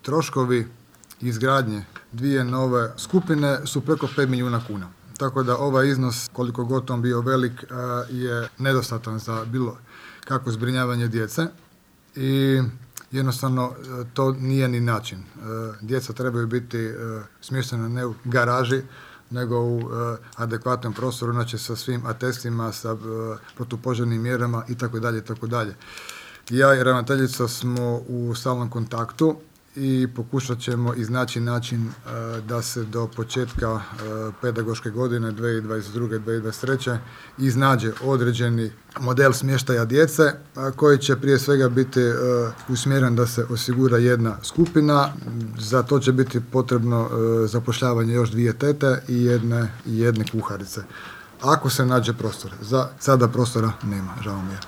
troškovi izgradnje 2 nove skupine su preko 5 milijuna kuna. Tako da ovaj iznos, koliko god on bio velik, je nedostatan za bilo kako zbrinjavanje djece i jednostavno to nije ni način. Djeca trebaju biti smještena ne u garaži, nego u adekvatnom prostoru, znači sa svim atestima, sa protupožarnim mjerama itd. Ja i ravnateljica smo u stalnom kontaktu i pokušat ćemo iznaći način da se do početka pedagoške godine 2022-2023 iznađe određeni model smještaja djece koji će prije svega biti usmjeren da se osigura jedna skupina. Za to će biti potrebno zapošljavanje još 2 tete i jedne kuharice. Ako se nađe prostor. Za sada prostora nema, žao mi je.